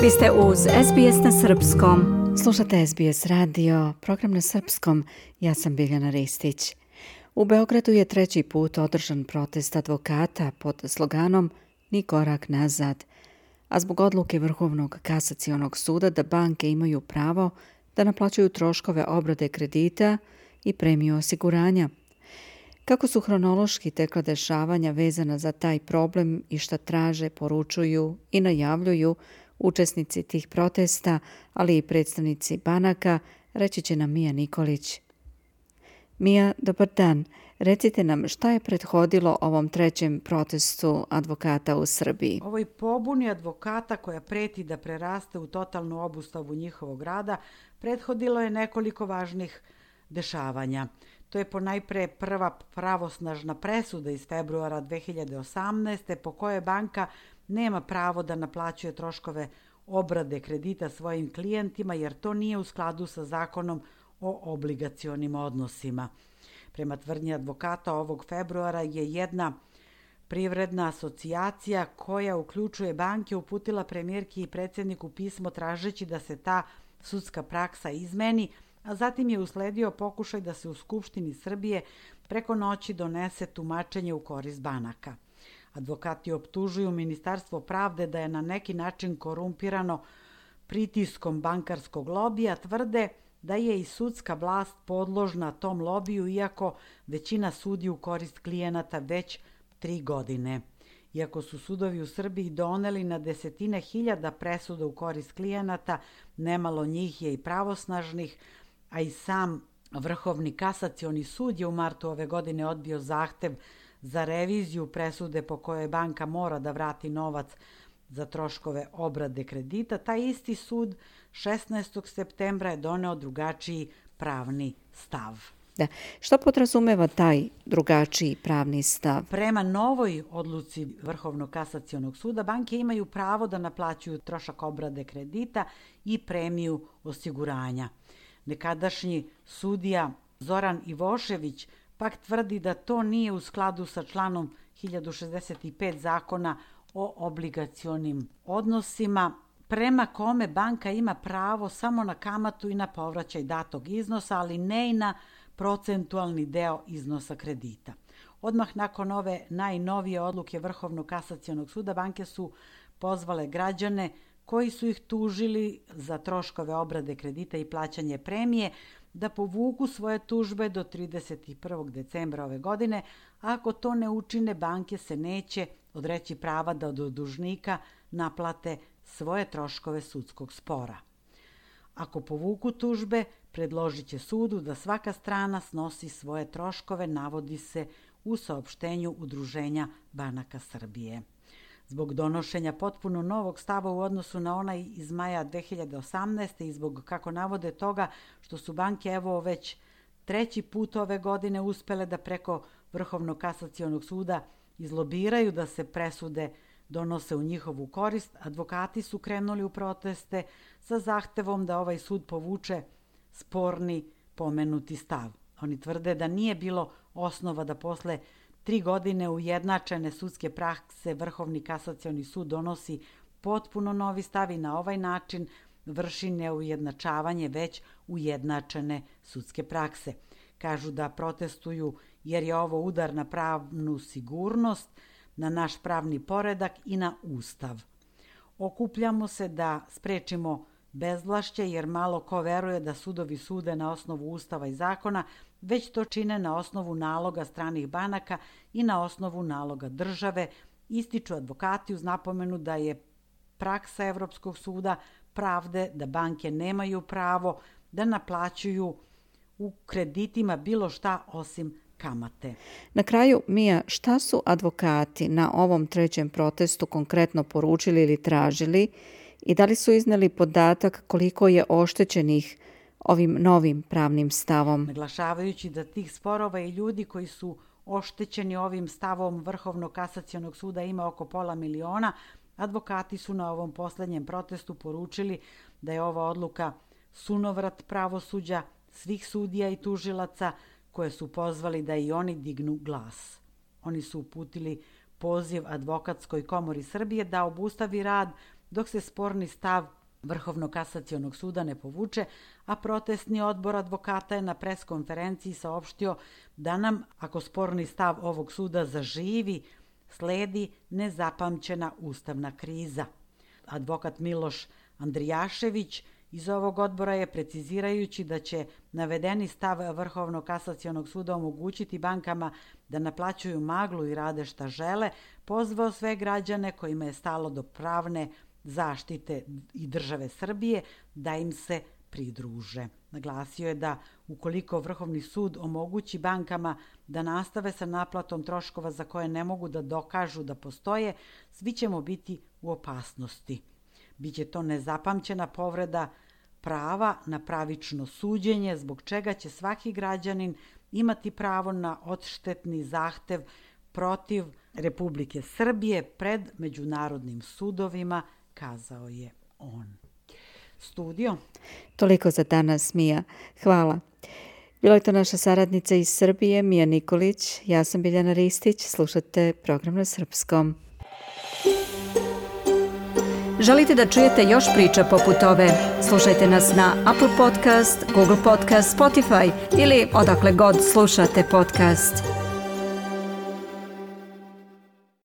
Vi ste uz SBS na Srpskom. Slušate SBS radio, program na Srpskom. Ja sam Biljana Ristić. U Beogradu je treći put održan protest advokata pod sloganom Ni korak nazad, a zbog odluke Vrhovnog kasacionog suda da banke imaju pravo da naplaćuju troškove obrade kredita i premiju osiguranja. Kako su hronološki tekla dešavanja vezana za taj problem i šta traže, poručuju i najavljuju učesnici tih protesta, ali i predstavnici banaka, reći će nam Mija Nikolić. Mija, dobar dan. Recite nam šta je prethodilo ovom trećem protestu advokata u Srbiji? Ovoj pobuni advokata koja preti da preraste u totalnu obustavu njihovog rada prethodilo je nekoliko važnih dešavanja. To je ponajpre prva pravosnažna presuda iz februara 2018. po kojoj banka nema pravo da naplaćuje troškove obrade kredita svojim klijentima jer to nije u skladu sa zakonom o obligacionim odnosima. Prema tvrdnji advokata ovog februara je jedna privredna asocijacija koja uključuje banke uputila premijerki i predsjedniku pismo tražeći da se ta sudska praksa izmeni, a zatim je usledio pokušaj da se u Skupštini Srbije preko noći donese tumačenje u korist banaka. Advokati optužuju Ministarstvo pravde da je na neki način korumpirano pritiskom bankarskog lobija, tvrde da je i sudska vlast podložna tom lobiju, iako većina sudi u korist klijenata već 3 godine. Iako su sudovi u Srbiji doneli na desetine hiljada presuda u korist klijenata, nemalo njih je i pravosnažnih, a i sam Vrhovni kasacioni sud je u martu ove godine odbio zahtev za reviziju presude po kojoj banka mora da vrati novac za troškove obrade kredita. Taj isti sud 16. septembra je doneo drugačiji pravni stav. Da. Što podrazumeva taj drugačiji pravni stav? Prema novoj odluci Vrhovnog kasacionog suda, banke imaju pravo da naplaćuju trošak obrade kredita i premiju osiguranja. Nekadašnji sudija Zoran Ivošević pak tvrdi da to nije u skladu sa članom 1065 zakona o obligacionim odnosima, prema kome banka ima pravo samo na kamatu i na povraćaj datog iznosa, ali ne i na procentualni deo iznosa kredita. Odmah nakon ove najnovije odluke Vrhovnog kasacionog suda, banke su pozvale građane koji su ih tužili za troškove obrade kredita i plaćanje premije da povuku svoje tužbe do 31. decembra ove godine. Ako to ne učine, banke se neće odreći prava da od dužnika naplate svoje troškove sudskog spora. Ako povuku tužbe, predložit će sudu da svaka strana snosi svoje troškove, navodi se u saopštenju Udruženja banaka Srbije. Zbog donošenja potpuno novog stava u odnosu na onaj iz maja 2018. i zbog, kako navode, toga što su banke evo već treći put ove godine uspele da preko Vrhovnog kasacionog suda izlobiraju da se presude donose u njihovu korist, advokati su krenuli u proteste sa zahtevom da ovaj sud povuče sporni pomenuti stav. Oni tvrde da nije bilo osnova da posle 3 godine ujednačene sudske prakse Vrhovni kasacioni sud donosi potpuno novi stav i na ovaj način vrši neujednačavanje već ujednačene sudske prakse. Kažu da protestuju jer je ovo udar na pravnu sigurnost, na naš pravni poredak i na Ustav. Okupljamo se da sprečimo bezvlašće jer malo ko veruje da sudovi sude na osnovu Ustava i zakona, već to čine na osnovu naloga stranih banaka i na osnovu naloga države, ističu advokati uz napomenu da je praksa Evropskog suda pravde da banke nemaju pravo da naplaćuju u kreditima bilo šta osim kamate. Na kraju, Mija, šta su advokati na ovom trećem protestu konkretno poručili ili tražili i da li su izneli podatak koliko je oštećenih ovim novim pravnim stavom? Naglašavajući da tih sporova i ljudi koji su oštećeni ovim stavom Vrhovnog kasacionog suda ima oko 500.000, advokati su na ovom poslednjem protestu poručili da je ova odluka sunovrat pravosuđa svih sudija i tužilaca koje su pozvali da i oni dignu glas. Oni su uputili poziv Advokatskoj komori Srbije da obustavi rad dok se sporni stav Vrhovnog kasacionog suda ne povuče, a protestni odbor advokata je na preskonferenciji saopštio da nam, ako sporni stav ovog suda zaživi, sledi nezapamćena ustavna kriza. Advokat Miloš Andrijašević iz ovog odbora je, precizirajući da će navedeni stav Vrhovnog kasacionog suda omogućiti bankama da naplaćuju maglu i rade šta žele, pozvao sve građane kojima je stalo do pravne zaštite i države Srbije da im se pridruže. Naglasio je da ukoliko Vrhovni sud omogući bankama da nastave sa naplatom troškova za koje ne mogu da dokažu da postoje, svi ćemo biti u opasnosti. Biće to nezapamćena povreda prava na pravično suđenje, zbog čega će svaki građanin imati pravo na odštetni zahtev protiv Republike Srbije pred međunarodnim sudovima, kazao je on. Studio. Toliko za danas, Mija. Hvala. Bila je to naša saradnica iz Srbije, Mija Nikolić. Ja sam Biljana Ristić. Slušate program na srpskom. Želite da čujete još priča poput ove? Slušajte nas na Apple Podcast, Google Podcast, Spotify ili odakle god slušate podcast.